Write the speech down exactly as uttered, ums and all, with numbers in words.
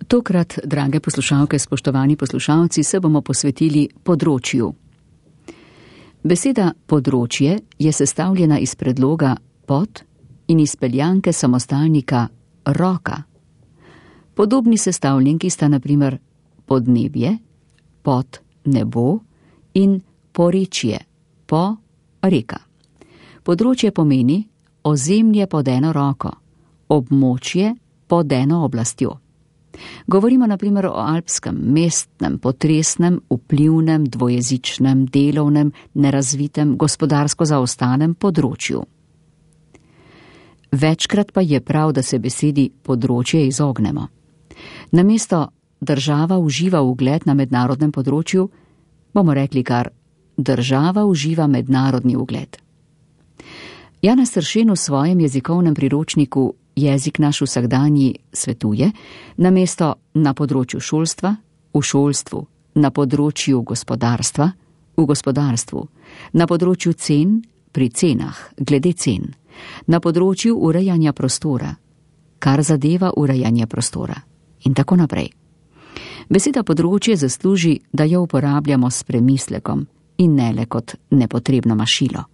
Tokrat, drage poslušalke, spoštovani poslušalci, se bomo posvetili področju. Beseda področje je sestavljena iz predloga pod in izpeljanke samostalnika roka. Podobni sestavljenki sta na primer podnebje, pod nebo in porečje, po reka. Področje pomeni ozemlje pod eno roko, območje pod eno oblastjo. Govorimo na primer o alpskem, mestnem, potresnem, vplivnem, dvojezičnem, delovnem, nerazvitem, gospodarsko zaostanem področju. Večkrat pa je prav, da se besedi področje izognemo. Namesto država uživa ugled na mednarodnem področju, bomo rekli kar država uživa mednarodni ugled. Janez Stršen v svojem jezikovnem priročniku Jezik naš vsakdanji svetuje, namesto na področju šolstva, v šolstvu, na področju gospodarstva, v gospodarstvu, na področju cen, pri cenah, glede cen, na področju urejanja prostora, kar zadeva urejanje prostora in tako naprej. Beseda področje zasluži, da jo uporabljamo s premislekom in ne le kot nepotrebno mašilo.